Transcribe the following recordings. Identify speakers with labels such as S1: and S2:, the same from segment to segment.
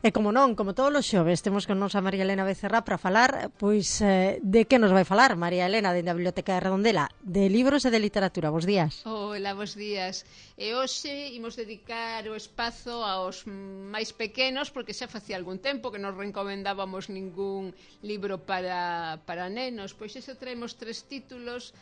S1: E como non, como todos os xoves, temos con nos a María Elena Becerra para falar, pois, de que nos vai falar María Elena dende a Biblioteca de Redondela? De libros e de literatura. Bos días.
S2: Hola, bos días. E hoxe imos dedicar o espazo aos máis pequenos, porque xa facía algún tempo que non recomendábamos ningún libro para nenos. Pois iso traemos 3 títulos,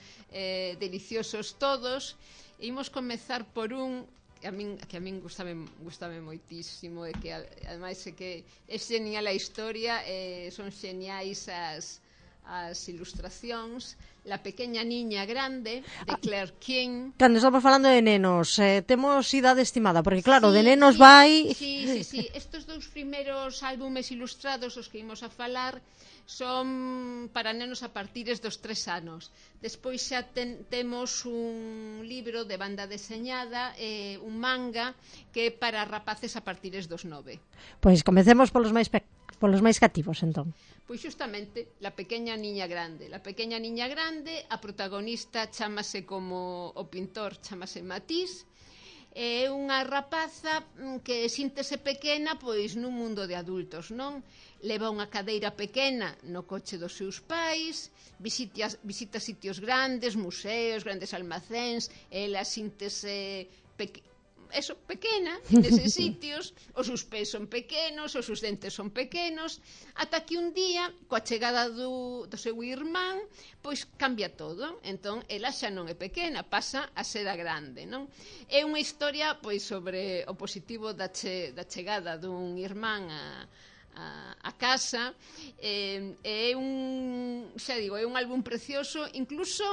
S2: deliciosos todos. E imos comezar por un que a min gustame moitísimo, e que ademais é que é genial a historia, son geniais as ilustracións. La pequeña niña grande, de Claire King.
S1: Cando estamos falando de nenos, temos idade estimada, porque claro,
S2: Sí,
S1: de nenos
S2: sí,
S1: vai...
S2: Sí. Estos dous primeiros álbumes ilustrados os que imos a falar son para nenos a partires dos 3 anos. Despois xa temos un libro de banda deseñada, un manga, que é para rapaces a partires dos 9.
S1: Pois comecemos polos máis cativos, entón.
S2: Pois xustamente, La pequeña niña grande. La pequeña niña grande, a protagonista chámase como o pintor, chámase Matisse, é unha rapaza que síntese pequena pois nun mundo de adultos, non? Leva unha cadeira pequena no coche dos seus pais, visita sitios grandes, museos, grandes almacéns, ela síntese pequena neses sitios, os seus pés son pequenos, os seus dentes son pequenos, ata que un día, coa chegada do seu irmán, pois cambia todo. Entón, ela xa non é pequena, pasa a ser a grande, non? É unha historia pois sobre o positivo da chegada dun irmán a casa. É un álbum precioso, incluso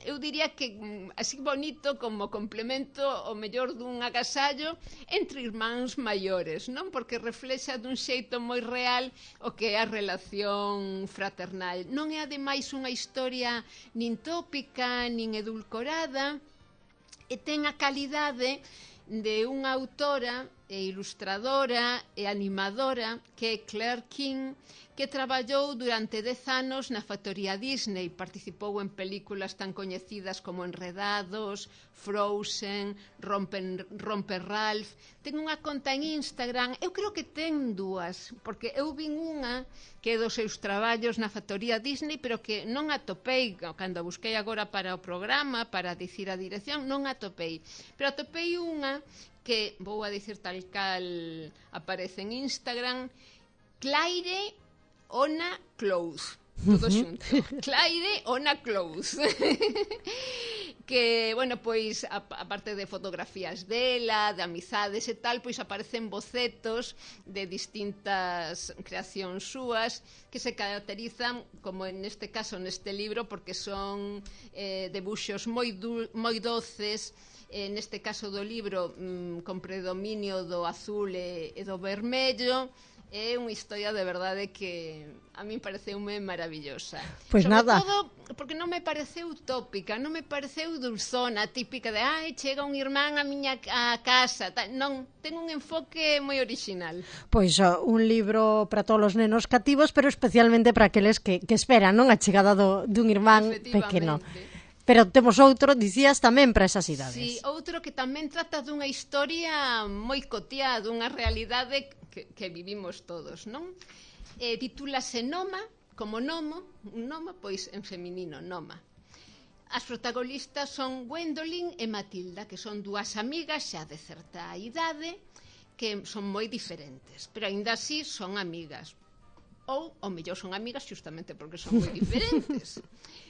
S2: eu diría que así bonito como complemento o mellor dun agasallo entre irmáns maiores, non? Porque reflexa dun xeito moi real o que é a relación fraternal. Non é ademais unha historia nin tópica, nin edulcorada, e ten a calidade de unha autora e ilustradora e animadora que é Claire King, que traballou durante 10 anos na factoría Disney. Participou en películas tan coñecidas como Enredados, Frozen, Romper Ralph. Ten unha conta en Instagram, eu creo que ten 2, porque eu vin unha que é dos seus traballos na factoría Disney, pero que non atopei, cando a busquei agora para o programa, para dicir a dirección, non atopei. Pero atopei unha que, vou a dicir tal cal aparece en Instagram, Claire Ona Clothes, todo xunto. Claire Ona Clothes. Que, bueno, pois, a parte de fotografías dela, de amizades e tal, pois aparecen bocetos de distintas creacións súas que se caracterizan, como neste caso, neste libro, porque son debuxos moi doces, neste caso do libro con predominio do azul e do vermello. É unha historia de verdade que a min pareceume maravillosa.
S1: Pois nada.
S2: Sobre todo porque non me pareceu tópica, non me pareceu dulzona, típica de chega un irmán a miña casa. Non, ten un enfoque moi original.
S1: Pois un libro para todos os nenos cativos, pero especialmente para aqueles que esperan, non? A chegada dun irmán pequeno. Pero temos outro, dicías, tamén para esas idades.
S2: Sí, outro que tamén trata dunha historia moi cotiá, dunha realidade que vivimos todos, non? Titúlase Noma, como Nomo, un Noma, pois en feminino, Noma. As protagonistas son Gwendolyn e Matilda, que son 2 amigas xa de certa idade, que son moi diferentes, pero aínda así son amigas. Ou, ao mellor, son amigas xustamente porque son moi diferentes.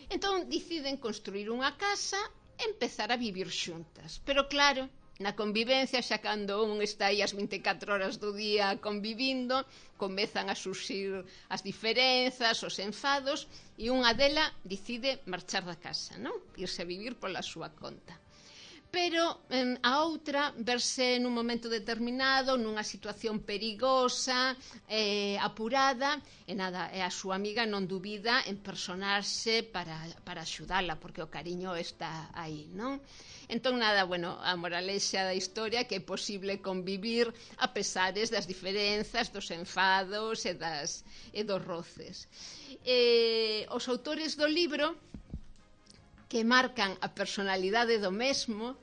S2: Entón, deciden construir unha casa e empezar a vivir xuntas. Pero claro, na convivencia, xa cando un está aí as 24 horas do día convivindo, comezan a surxir as diferenzas, os enfados, e unha dela decide marchar da casa, non? Irse a vivir pola súa conta. Pero a outra verse nun momento determinado, nunha situación perigosa, apurada, e nada, a súa amiga non dubida en personarse para axudala, porque o cariño está aí, non? Entón, nada, bueno, a moralexa da historia que é posible convivir a pesares das diferenzas, dos enfados e dos roces. Os autores do libro, que marcan a personalidade do mesmo,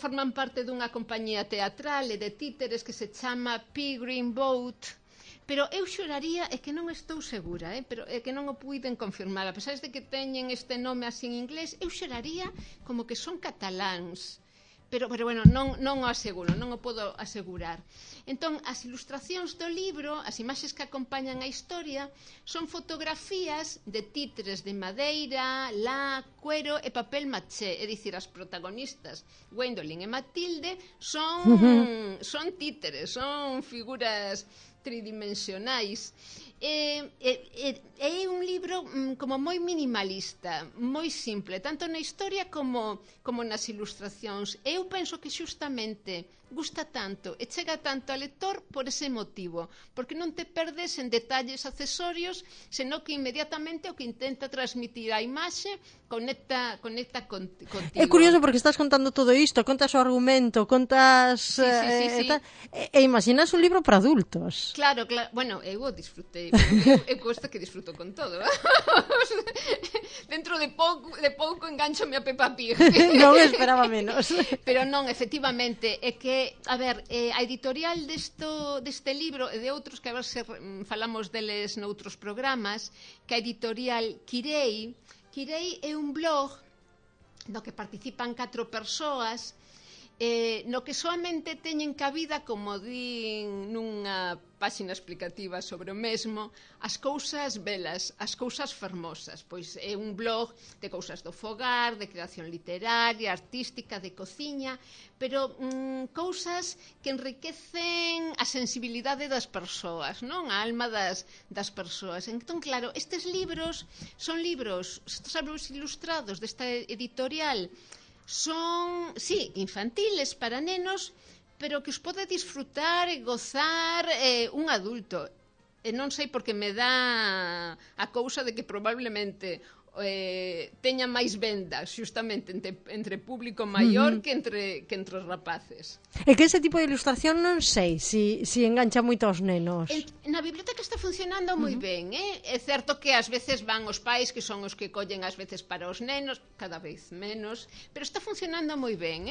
S2: forman parte dunha compañía teatral e de títeres que se chama Peregrine Boat, pero eu xuraría, é que non estou segura, pero é que non o puiden confirmar, a pesar de que teñen este nome así en inglés, eu xuraría como que son cataláns. Pero bueno, non o aseguro, non o podo asegurar. Entón, as ilustracións do libro, as imaxes que acompañan a historia, son fotografías de títeres de madeira, lá, cuero e papel maché. É dicir, as protagonistas, Gwendolyn e Matilde, son títeres, son figuras tridimensionais. É un libro como moi minimalista, moi simple, tanto na historia como nas ilustracións. Eu penso que xustamente gusta tanto e chega tanto ao lector por ese motivo, porque non te perdes en detalles accesorios, senón que inmediatamente o que intenta transmitir a imaxe conecta contigo.
S1: É curioso porque estás contando todo isto, contas o argumento, contas...
S2: Sí.
S1: E imaginas un libro para adultos.
S2: Claro, bueno, eu o disfrutei, eu cuesta que disfruto con todo. Dentro de pouco enganchome a Peppa Pig.
S1: Non esperaba menos.
S2: Pero non, efectivamente, é que, a ver, a editorial deste libro e de outros que a ver se falamos deles noutros programas, que a editorial Quirei é un blog no que participan 4 persoas, no que soamente teñen cabida, como din nunha páxina explicativa sobre o mesmo, as cousas belas, as cousas fermosas. Pois é un blog de cousas do fogar, de creación literaria, artística, de cociña, pero cousas que enriquecen a sensibilidade das persoas, non? A alma das persoas. Entón, claro, estes libros son libros, estes libros ilustrados desta editorial, son, sí, infantiles para nenos, pero que os pode disfrutar e gozar un adulto. E non sei porque me dá a cousa de que probablemente teña máis vendas xustamente entre público maior que entre os rapaces.
S1: É que ese tipo de ilustración non sei se engancha moito aos nenos.
S2: Na biblioteca está funcionando moi ben, É certo que ás veces van os pais, que son os que collen ás veces para os nenos, cada vez menos, pero está funcionando moi ben,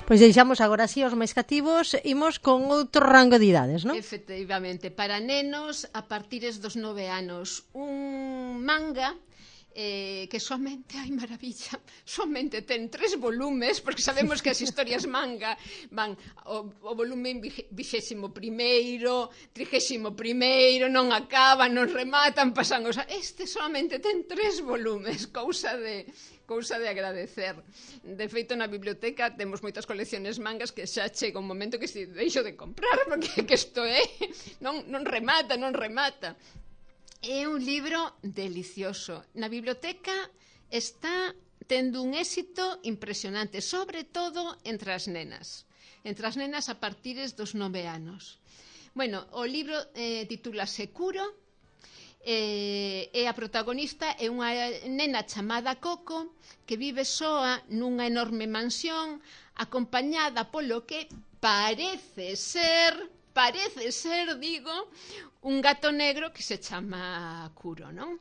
S1: Pois deixamos agora así os máis cativos, imos con outro rango de idades, non?
S2: Efectivamente, para nenos a partires dos 9 anos. Un manga que somente, ai maravilla, somente ten 3 volumes, porque sabemos que as historias manga van o volume 21º, 31º, non acaban, non rematan, pasan os... Este somente ten 3 volumes, cousa de agradecer. De feito, na biblioteca temos moitas colecciones mangas que xa chega un momento que se deixo de comprar, porque que isto non remata. É un libro delicioso. Na biblioteca está tendo un éxito impresionante, sobre todo entre as nenas a partires dos 9 anos. Bueno, o libro titúlase Kuro, e a protagonista é unha nena chamada Coco que vive soa nunha enorme mansión, acompañada polo que parece ser, digo, un gato negro que se chama Kuro, non?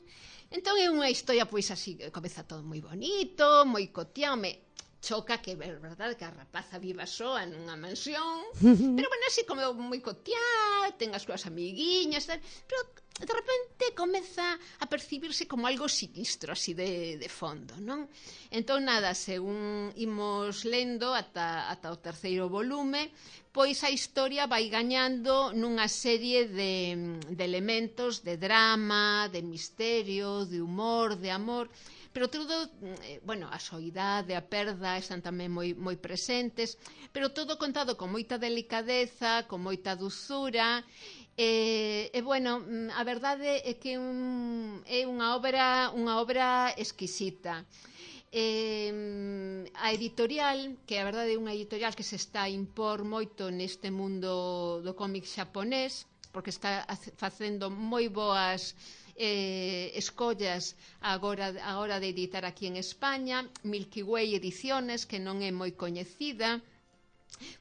S2: Entón é unha historia, pois así, comeza todo moi bonito, moi cotián, choca que é verdade que a rapaza viva soa nunha mansión, pero bueno, así como moi cotián, ten as súas amiguiñas, pero de repente comeza a percibirse como algo sinistro, así de fondo, non? Entón, nada, según imos lendo ata o 3º volume, pois a historia vai gañando nunha serie de elementos de drama, de misterio, de humor, de amor, pero todo, bueno, a soidade, a perda están tamén moi presentes, pero todo contado con moita delicadeza, con moita dulzura, e bueno, a verdade é que é unha obra exquisita. A editorial, que a verdade é unha editorial que se está a impor moito neste mundo do cómic xaponés, porque está facendo moi boas escollas agora de editar aquí en España. Milky Way Ediciones, que non é moi coñecida,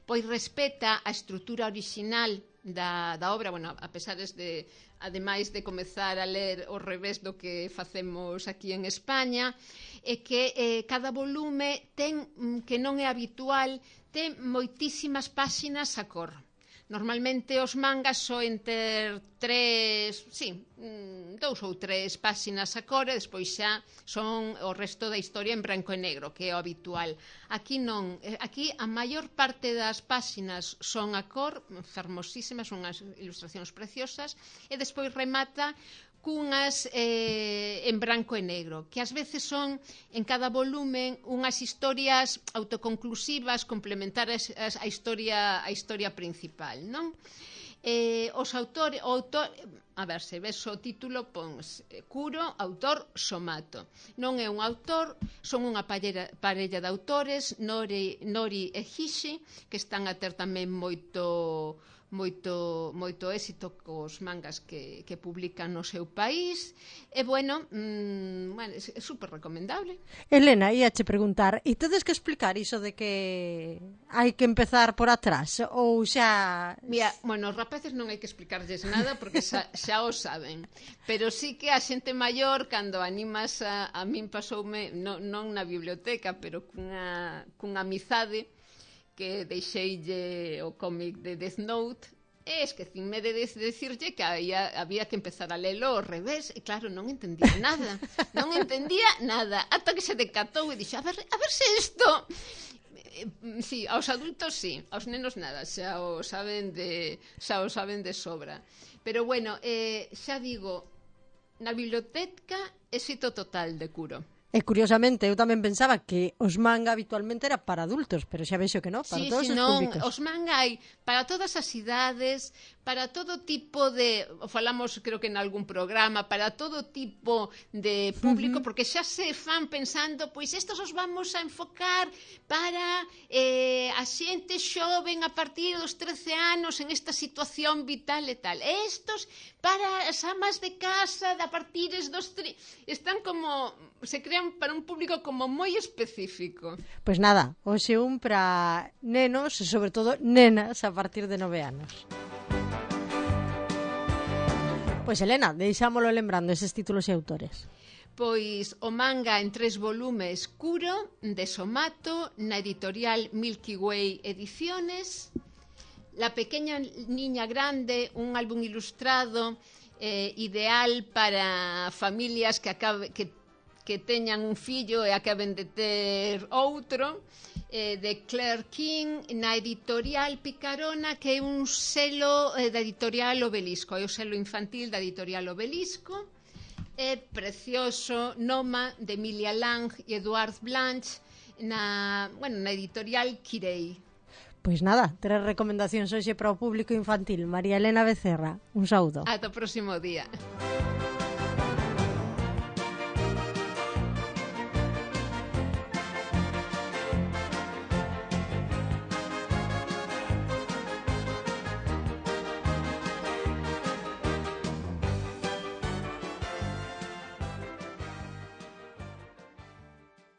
S2: pois respeta a estrutura orixinal da obra, bueno, a pesares de, ademais de comezar a ler ao revés do que facemos aquí en España, é que cada volume ten, que non é habitual, ten moitísimas páxinas a cor. Normalmente os mangas soen ter 2 ou 3 páxinas a cor e despois xa son o resto da historia en branco e negro, que é o habitual. Aquí non, aquí a maior parte das páxinas son a cor, fermosísimas, son unhas ilustracións preciosas, e despois remata cunhas en branco e negro, que ás veces son en cada volumen unhas historias autoconclusivas complementares á historia principal, non? Os autores, a ver, se ves o título, pons Kuro, autor Somato. Non é un autor, son unha parella de autores, Nori e Hishi, que están a ter tamén moito éxito cos mangas que publican no seu país, e bueno, é super recomendable.
S1: Elena, ia che preguntar, e tedes que explicar iso de que hai que empezar por atrás, ou xa...
S2: Mira, bueno, os rapaces non hai que explicarlles nada porque xa o saben, pero sí que a xente maior, cando animas a min pasoume, non na biblioteca, pero cunha amizade, que deixeille o cómic de Death Note, e esquecínme de decirlle que había que empezar a lelo ao revés, e claro, non entendía nada, ata que se decatou e dixo, a ver se isto... Sí, aos adultos sí, aos nenos nada, xa o saben de sobra. Pero bueno, xa digo, na biblioteca éxito total de Kuro.
S1: E curiosamente, eu tamén pensaba que os manga habitualmente era para adultos, pero xa vexo que non, para todos os públicos.
S2: Os manga hai para todas as idades, para todo tipo de, falamos creo que en algún programa, para todo tipo de público, porque xa se fan pensando, pois estos os vamos a enfocar para a xente xoven a partir dos 13 anos en esta situación vital e tal. E estos para as amas de casa a partir dos... Están como... se crean para un público como moi específico.
S1: Pois nada, hoxe un para nenos e sobre todo nenas a partir de 9 anos. Pois Elena, deixámolo lembrando eses títulos e autores.
S2: Pois o manga en 3 volumes Kuro, de Somato, na editorial Milky Way Ediciones. La pequeña niña grande, un álbum ilustrado ideal para familias que teñan un fillo e acaben de ter outro, de Claire King, na editorial Picarona, que é un selo da editorial Obelisco, é o selo infantil da editorial Obelisco. É precioso, Noma, de Emilia Lang e Eduard Blanche, na editorial Quirei.
S1: Pois nada, 3 recomendacións hoxe para o público infantil. María Elena Becerra, un saúdo.
S2: Ata o próximo día.